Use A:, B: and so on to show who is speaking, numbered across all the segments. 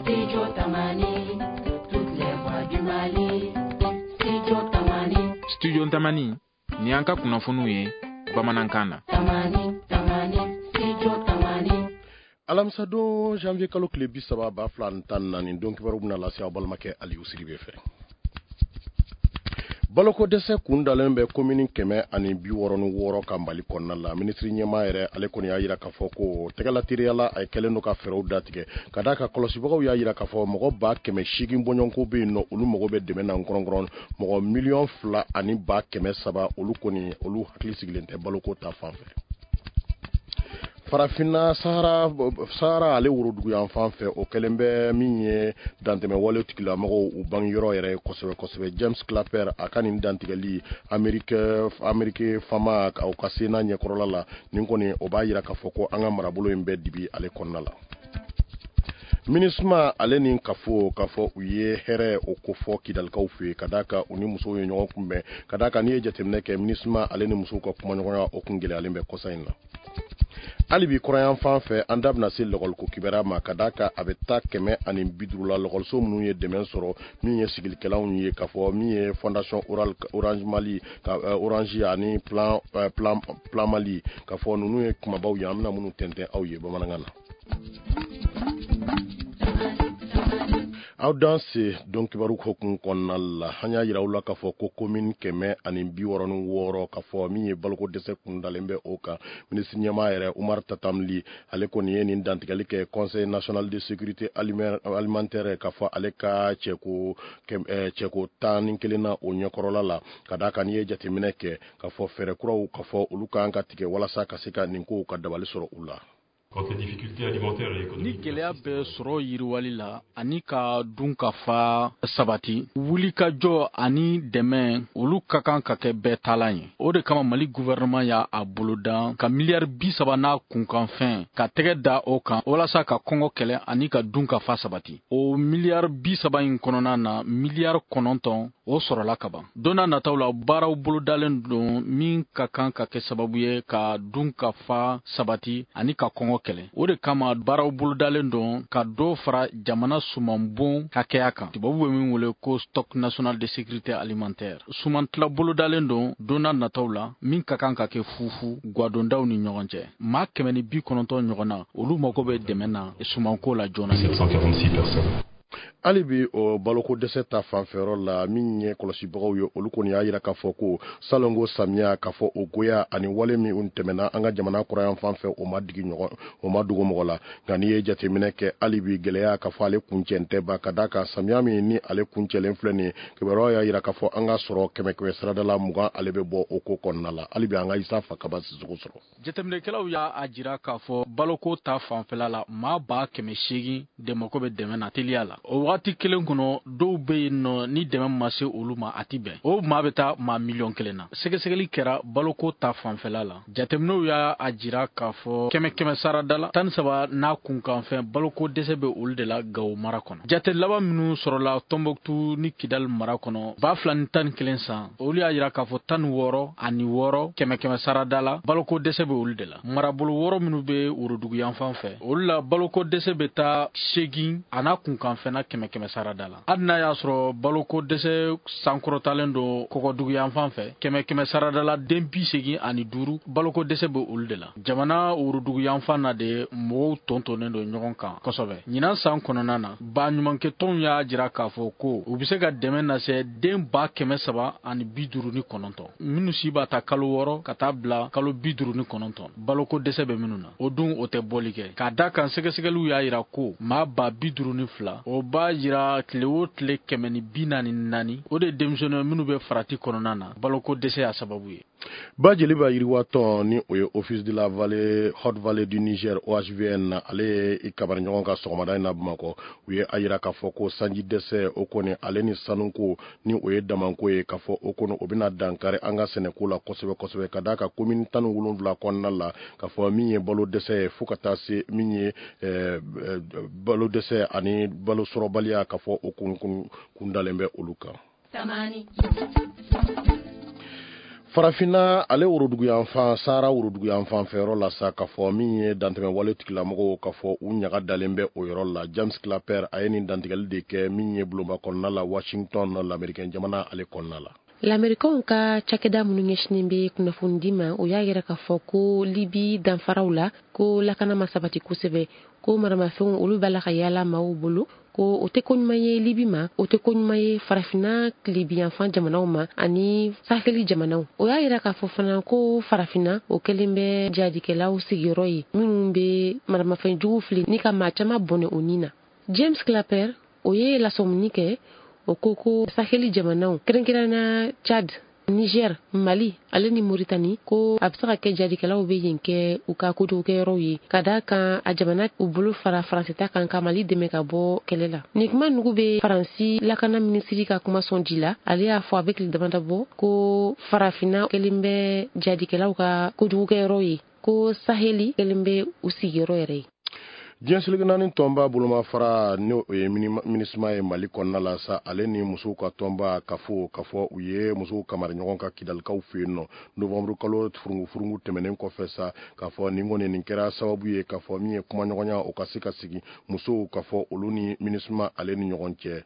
A: Studio Tamani, toutes les voix du Mali. Studio Tamani.
B: Studio Tamani, ni an ka kunnafoniw ye bamanankan na.
A: Tamani, Tamani, Studio Tamani.
C: Alamisadon janvier kalo tile 30 2014, don kibaru bɛna lase aw balimakɛ Aliyu Sidibe fɛ. Baloko dɛsɛ kun dalen bɛ komini 166 kan Mali kɔnɔna la. Minisiri ɲɛmaa yɛrɛ ale kɔni y'a jira k'a fɔ ko tɛgɛlateriyala a kɛlen don ka fɛɛrɛw datigɛ ka d'a kan kɔlɔsibagaw y'a jira k'a fɔ mɔgɔ 800,000 bɔɲɔgɔnko bɛ yen nɔ, olu mago bɛ dɛmɛ na nkɔrɔnkɔrɔn. Mɔgɔ 2,3 millions olu kɔni olu hakili sigilen tɛ baloko ta fan fɛ. Farafinna Sahara ale worodugu fan fɛ, o kɛlen bɛ min ye dantɛmɛ wale tigilamɔgɔw u bangeyɔrɔ yɛrɛ ye kosɛbɛ kosɛbɛ. James Clapper a ka nin dantigɛli Amerique fama o ka sena ɲɛkɔrɔla la, nin kɔni o b'a jira k'a fɔ ko an ka marabolo in bɛɛ dibi ale kɔnɔna la. MINUSMA ale ni kafo k'a fɔ u ye hɛrɛ o kofɔ Kidalikaw fɛ yen, ka d'a kan u ni musow ye ɲɔgɔn kunbɛn, ka d'a kan n'i ye jateminɛ kɛ, MINUSMA ale ni musow ka kumaɲɔgɔnya o kun gɛlɛyalen bɛ kɔsa in na. Hali bi kɔrɔyan fan fɛ, an da bɛna se lɔgɔliko kibaruya ma, ka d'a kan a bɛ taa 150 la lɔgɔliso minnu ye dɛmɛ sɔrɔ min ye sigilikɛlanw ye, k'a fɔ min ye Fondation Orange Mali ka Orange ani Plan Mali, k'a fɔ ninnu ye kumabaw ye an bɛna minnu tɛntɛn aw ye bamanankan na. Aw danse don kibaru hukumu kɔnɔna la, an y'a jira aw la k'a fɔ ko komini 166, k'a fɔ min ye baloko dɛsɛ kun dalen bɛ o kan. Minisiri ɲɛmaa yɛrɛ Umar Tatam Ly, ale kɔni ye nin dantigɛli kɛ Conseil national de sécurité alimentaire, k'a fɔ ale ka cɛko 11 na o ɲɛkɔrɔla la, ka d'a kan n'i ye jateminɛ kɛ k'a fɔ fɛɛrɛ kuraw k'a fɔ olu kan ka tigɛ walasa ka se ka nin kow ka dabali sɔrɔ u la.
D: Ni gɛlɛya bɛ sɔrɔ yiriwali la ani ka dun ka fa sabati, wulikajɔ ani dɛmɛ, olu ka kan ka kɛ bɛɛ taalan ye. O de kama Mali gouvernement y'a a boloda ka miliyari 30 n'a kunkanfɛn ka tɛgɛ da o kan walasa ka kɔngɔ kɛlɛ ani ka dun ka fa sabati. O miliyari 30 in kɔnɔna na, miliyari 9 o sɔrɔla ka ban. Don n'a nataw la, baaraw bolodalen don min ka kan ka kɛ sababu ye ka dun ka fa sabati ani ka kɔngɔ kɛlɛ. O de kama baaraw bolodalen don ka dɔ fara jamana sumanbon hakɛya kan, tubabu bɛ min wele ko stock national de sécurité alimentaire. Sumantila bolodalen don don n'a nataw la min ka kan ka kɛ fufu gwadondaw ni ɲɔgɔn cɛ. Maa 190 ɲɔgɔn na, olu mago bɛ dɛmɛ na sumanko la joona.
E: 746 personnes.
C: Hali bi o baloko dɛsɛ ta fanfɛyɔrɔ la, min ye kɔlɔsibagaw ye, olu kɔni y'a jira k'a fɔ ko salongo samiya, k'a fɔ o goya ani wale min tɛmɛna an ka jamana kɔrɔyan fan fɛ, o ma digi ɲɔgɔn, o ma dogo mɔgɔ la. Nka n'i ye jateminɛ kɛ, hali bi gɛlɛya k'a fɔ ale kuncɛn tɛ ba, ka d'a kan samiya min ni ale kuncɛlen filɛ nin ye, kibaruyaw y'a jira k'a fɔ an ka sɔrɔ kɛmɛ kɛmɛ sarada la 20 ale bɛ bɔ o ko kɔnɔna la. Hali bi an ka Isa Fakaba Sisoko sɔrɔ.
D: Jateminɛkɛlaw y'a jira k'a fɔ baloko ta fanfɛla la, maa 800,000 de mako bɛ dɛmɛ na teliya la. O wagati kelen kɔnɔ, dɔw bɛ yen nɔ ni dɛmɛ ma se olu ma, a ti bɛn. O maa bɛ taa maa 1 million na. Sɛgɛsɛgɛli kɛra baloko ta fanfɛla la, jateminɛw y'a jira k'a fɔ kɛmɛ kɛmɛ sarada la 13 n'a kunkanfɛn, baloko dɛsɛ bɛ olu de la Gawo mara kɔnɔ. Jate laban minnu sɔrɔla Tɔnbɔkutu ni Kidali mara kɔnɔ 2011 san, olu y'a jira k'a fɔ 66 kɛmɛ kɛmɛ sarada la, baloko dɛsɛ bɛ olu de la. Marabolo wɔɔrɔ minnu bɛ worodugu yanfan fɛ, olu la baloko dɛsɛ bɛ taa 8 a n'a kunkanfɛnna kɛmɛ kɛmɛ sarada la. Hali n'a y'a sɔrɔ baloko dɛsɛ sankɔrɔtalen don kɔgɔdugu yanfan fɛ, kɛmɛ kɛmɛ sarada la den 85, baloko dɛsɛ bɛ olu de la. Jamana worodugu yanfan na de, mɔgɔw tɔntɔnnen don ɲɔgɔn kan kosɛbɛ. Ɲinan san kɔnɔna na, baɲumankɛtɔnw y'a jira k'a fɔ ko u bɛ se ka dɛmɛ lase den 359 minnu si b'a ta kalo 6 ka taa bila kalo 59, baloko dɛsɛ bɛ minnu na. O dun o tɛ bɔli kɛ, k'a da kan sɛgɛsɛgɛliw y'a jira ko maa 52,000, o b'a jira tile o tile 144, o de ye denmisɛnnin minnu bɛ farati kɔnɔna na, baloko dɛsɛ y'a sababu ye.
C: Ba Jeliba yiriwatɔn ni o ye Office de la vallée Haute Vallée du Niger, OHVN, ale ye i kabari ɲɔgɔn ka sɔgɔmada in na Bamakɔ. U ye a jira k'a fɔ ko sanji dɛsɛ o kɔni ale ni sanuko ni o ye damanko ye, k'a fɔ o kɔni o bɛna dankari an ka sɛnɛko la kosɛbɛ kosɛbɛ, ka d'a kan commune 17 kɔnɔna la, k'a fɔ min ye balo dɛsɛ ye fo ka taa se min ye balo dɛsɛ ani balo sɔrɔbaliya, k'a fɔ o kun kun kundalen bɛ olu kan.
A: Tamani.
C: Farafinna ale woroduguyanfan, Sahara woroduguyanfan fɛyɔrɔ la sa, k'a fɔ min ye dantɛmɛwale tigilamɔgɔw, k'a fɔ u ɲaga dalen bɛ o yɔrɔ la. James Clapper a ye nin dantigɛli de kɛ min ye bulonba kɔnɔna la, Washington, Lamerikɛn jamana ale kɔnɔna la.
E: Lamerikaw ka cakɛda minnu ɲɛsinnen bɛ kunnafonidi ma, o y'a yira k'a fɔ ko Libi danfaraw la, ko lakana ma sabati kosɛbɛ, ko maramafɛnw olu b'a la ka yaala maaw bolo, ko o tɛ ko ɲuman ye Libi ma, o tɛ ko ɲuman ye Farafinna tilebiyanfan jamanaw ma ani Saheli jamanaw. O y'a yira k'a fɔ fana ko Farafinna o kɛlen bɛ jadikɛlaw sigiyɔrɔ ye minnu bɛ maramafɛn jugu fili ni ka maa caman bɔnɛ o ni na. James Clapper o ye lasɔmuni kɛ, o ko ko Saheli jamanaw, kɛrɛnkɛrɛnna Chad, Niger, Mali ale ni Mauritanie, ko a bɛ se ka kɛ jadikɛlaw bɛ yen kɛ u ka kojugukɛyɔrɔw ye, ka d'a kan a jamana u bolo fara Faransi ta kan ka Mali dɛmɛ ka bɔ kɛlɛ la. Nin kuma nugu bɛ Faransi lakana minisiri ka kuma sɔn ji la. Ale y'a fɔ a bɛ tile damadɔ bɔ ko Farafinna kɛlen bɛ jadikɛlaw ka kojugukɛyɔrɔw ye, ko Saheli kɛlen bɛ u sigiyɔrɔ yɛrɛ ye.
C: Diɲɛ seleke naani tɔnba bolomafara, ni o ye MINUSMA ye Mali kɔnɔna la sa, ale ni musow ka tɔnba kafo, k'a fɔ u ye musow kamari ɲɔgɔn kan Kidalikaw fɛ yen nɔ novembre kalo furungu tɛmɛnen kɔfɛ sa, k'a fɔ nin kɔni nin kɛra sababu ye k'a fɔ min ye kumaɲɔgɔnya o ka se ka sigi musow, k'a fɔ olu ni MINUSMA ale ni ɲɔgɔn cɛ.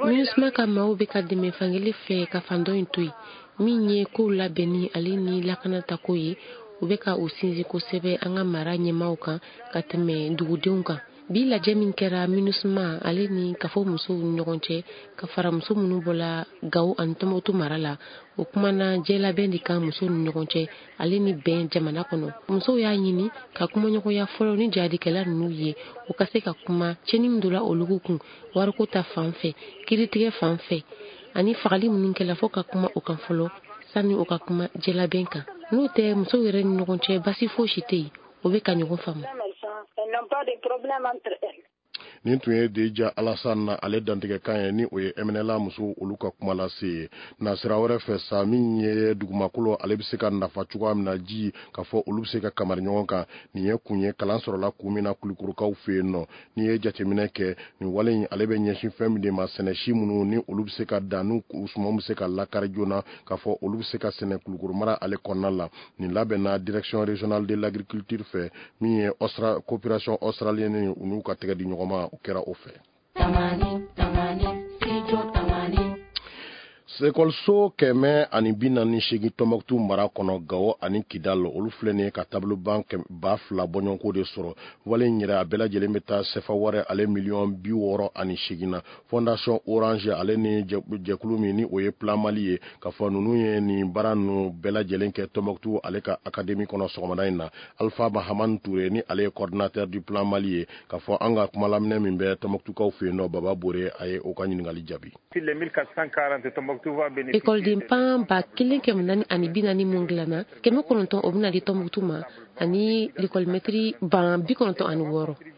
E: MINUSMA ka maaw bɛ ka dɛmɛ fankelen fɛ ka fan dɔ in to yen, min ye kow labɛnni ale ni lakana tako ye. U bɛ ka u sinsin kosɛbɛ an ka mara ɲɛmaaw kan ka tɛmɛ dugudenw kan. Bi lajɛ min kɛra MINUSMA ale ni kafo musow ni ɲɔgɔn cɛ, ka fara muso minnu bɔla Gawo ani Tɔnbukutu mara la, o kumana jɛlabɛn de kan musow ni ɲɔgɔn cɛ ale ni bɛn jamana kɔnɔ. Musow y'a ɲini ka kumaɲɔgɔnya fɔlɔ ni jadikɛla ninnu ye, u ka se ka kuma tiɲɛni min donna olu kun wariko ta fan fɛ, kiiritigɛ fan fɛ ani fagali minnu kɛla, fo ka kuma o kan fɔlɔ sani o ka kuma jɛlabɛn kan. N'o tɛ, musow yɛrɛ ni ɲɔgɔn cɛ basi fosi tɛ yen, o bɛ ka ɲɔgɔn faamu.
C: Nin tun ye Deja Alassane na ale dantigɛkan ye, ni o ye MNLA musow olu ka kuma lase ye. Na sira wɛrɛ fɛ sa, min ye dugumakolo ale bɛ se ka nafa cogoya min na, ji, k'a fɔ olu bɛ se ka kamari ɲɔgɔn kan, nin ye kun ye kalan sɔrɔla kun min na Kulukorokaw fɛ yen nɔ. N'i ye jateminɛ kɛ, nin wale in ale bɛ ɲɛsin fɛn min de ma, sɛnɛsi minnu ni olu bɛ se ka dan, n'u sumanw bɛ se ka lakari joona, k'a fɔ olu bɛ se ka sɛnɛ Kulukoro mara ale kɔnɔna la. Nin labɛnna Direction régionale de l'agriculture fɛ, min ye Austra coopération australienne, u n'u ka tɛgɛ di ɲɔgɔn ma, o kɛra o fɛ. Ekɔliso 148 Tɔnbɔkutu mara kɔnɔ, Gawo ani Kidal, olu filɛ nin ye ka tableau banc 2000 bɔɲɔgɔnko de sɔrɔ. Wale in yɛrɛ a bɛɛ lajɛlen bɛ taa sefa wari ale miliyɔn 68 na. Fondation Orange ale ni jɛkulu min ni o ye Plan Mali ye, k'a fɔ ninnu ye nin baara ninnu bɛɛ lajɛlen kɛ Tɔnbɔkutu ale ka académie kɔnɔ sɔgɔmada in na. Alpha Mahamane Touré, ni ale ye coordinateur du Plan Mali ye, k'a fɔ an ka kumalaminɛ min bɛ Tɔnbɔkutukaw fɛ yen nɔ, Baba Bore a ye o ka ɲininkali jaabi.
E: Ekɔliden pan 1440 mun dilanna, 900 o bɛna di Tɔnbukutu ma, ani lekɔlimɛtiri ban 96,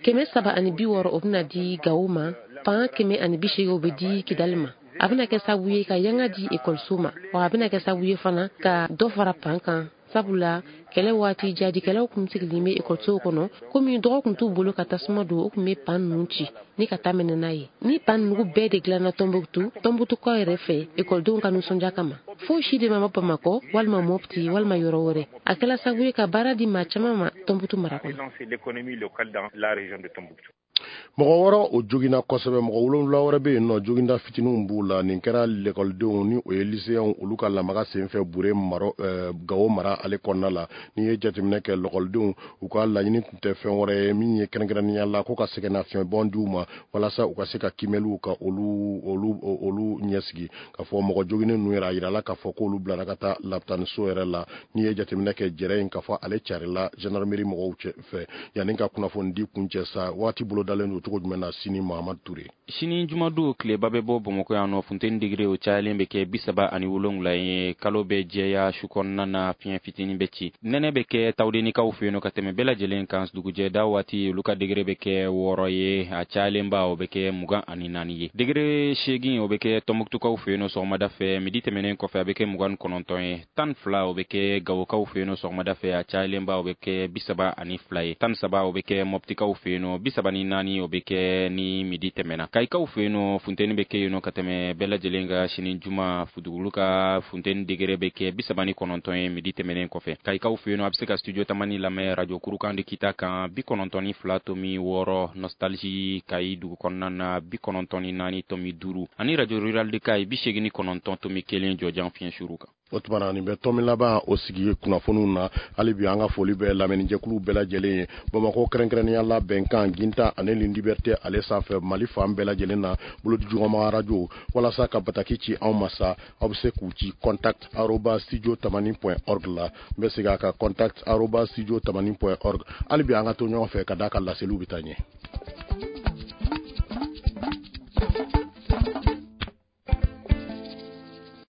E: 360 o bɛna di Gawo ma, pan 180 o bɛ di Kidali ma. A bɛna kɛ sababu ye ka yanga di ekɔliso ma, wa a bɛna kɛ sababu ye fana ka dɔ fara pan kan, sabula kɛlɛ waati jadikɛlaw kun sigilen bɛ ekɔlisow kɔnɔ. Komi dɔgɔ kun t'u bolo ka tasuma don, o kun bɛ pan ninnu ci ni ka taa minɛ n'a ye. Ni pan ninnu bɛɛ de dilanna Tɔnbukutu, Tɔnbukutukaw yɛrɛ fɛ, ekɔlidenw ka nisɔndiya kama, foyi si de ma bɔ Bamakɔ walima Mopti walima yɔrɔ wɛrɛ. A kɛla sababu ye ka baara di maa caman ma Tɔnbukutu mara kɔnɔ.
C: Mɔgɔ wɔɔrɔ o joginna kosɛbɛ, mɔgɔ 7 wɛrɛ bɛ yen nɔ, joginda fitininw b'u la. Nin kɛra lekɔlidenw, ni o ye lycéens, olu ka lamaga senfɛ Bure mara, Gawo mara ale kɔnɔna la. N'i ye jateminɛ kɛ, lekɔlidenw u ka laɲini tun tɛ fɛn wɛrɛ ye min ye kɛrɛnkɛrɛnnenya la ko ka sɛgɛnnafiɲɛbɔn di u ma walasa u ka se ka kimɛliw ka olu ɲɛsigi. K'a fɔ mɔgɔ joginnen ninnu yɛrɛ, a yirala k'a fɔ k'olu bilara ka taa lapitaniso yɛrɛ la. N'i ye jateminɛ kɛ, jɛrɛ in, k'a fɔ ale carila gendarmerie mɔgɔw fɛ. Yanni ka kunnafoni di kun cɛ sa, waati bolodalen don cogo jumɛn na sini, Mahamadu Ture?
B: Sini jumadon, tileba bɛ bɔ Bamakɔ yan nɔ. Funteni degré o cayalen bɛ kɛ 37 ye. Kalo bɛ jɛya su kɔnɔna na, fiɲɛ fitinin bɛ ci. Nɛnɛ bɛ kɛ Tawudenikaw fɛ yen nɔ ka tɛmɛ bɛɛ lajɛlen kan. Dugujɛda waati, olu ka degré bɛ kɛ 6 ye, a cayalenba o bɛ kɛ 24 ye. Degré 8 o bɛ kɛ Tɔnbukutukaw fɛ yen nɔ sɔgɔmada fɛ, midi tɛmɛnen kɔfɛ a bɛ kɛ 29 ye. 12 o bɛ kɛ Gawokaw fɛ yen nɔ sɔgɔmada fɛ, a cayalenba o bɛ kɛ 32 ye. 13 o bɛ kɛ Mɔptikaw fɛ yen nɔ, 34 o bɛ bɛ kɛ ni midi tɛmɛna. Kayikaw fɛ yen nɔ, funteni bɛ kɛ yen nɔ ka tɛmɛ bɛɛ lajɛlen kan sini juma. Dugukolo ka funteni degré bɛ kɛ 39 ye midi tɛmɛnen kɔfɛ. Kayikaw fɛ yen nɔ, a bɛ se ka Studio Tamani lamɛn Radio Kurukan de Kita kan, 92.6, Nostalgie Kayi dugu kɔnɔna na, 94.5, ani Radio Rural de Kayi, 89.1, jɔjan fiɲɛ suru kan.
C: O tuma na, nin bɛ tɔmi laban o sigi kunnafoniw na. Hali bi, an ka foli bɛ lamɛnnijɛkulu bɛɛ lajɛlen ye Bamakɔ, kɛrɛnkɛrɛnnenya la Bɛnkan, Ginta ani Liberté ale sanfɛ, Mali fan bɛɛ lajɛlen na, bolodijugɔma radio. Walasa ka bataki ci anw ma sa, aw bɛ se k'u ci contact@studiotamani.org la. N bɛ segin a kan: contact@studiotamani.org. Hali bi, an ka to ɲɔgɔn fɛ ka d'a ka laseliw bɛ taa ɲɛ.